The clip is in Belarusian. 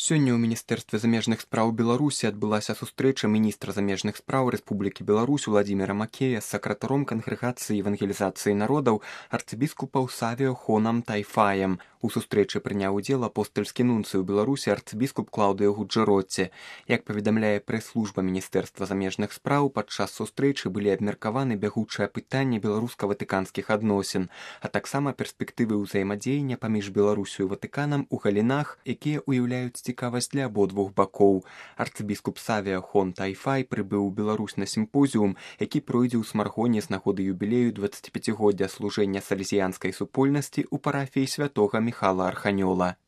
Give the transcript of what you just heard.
Сёння ў міністэрстве замежных спраў Беларусі адбылася сустрэча міністра замежных спраў Рэспублікі Беларусь Уладзіміра Макея з сакратаром кангрэгацыі евангелізацыі народаў арцыбіскупаў Савіо Хонам Тайфаем. У сустрэчы прыняў удзел апостальскі нунцый у Беларусі арцыбіскуп Клаўдыё Гуджэротці. Як паведамляе прэс-служба міністэрства замежных спраў, падчас сустрэчы былі абмеркаваны бягучыя пытанні беларуска-ватыканскіх адносін, а таксама перспектывы ўзаемадзеяння паміж Беларусю і Ватыканам у галінах, якія ўяўляюць цікавасць для абодвух бакоў. Арцыбіскуп Савіо Хон Тайфай прыбыў у Беларусь на сімпозіум, які пройдзе ў Смаргоне з нагоды юбілею 25-годдзя служэння салезіянскай супольнасці ў парафіі святога Міхала Арханёла.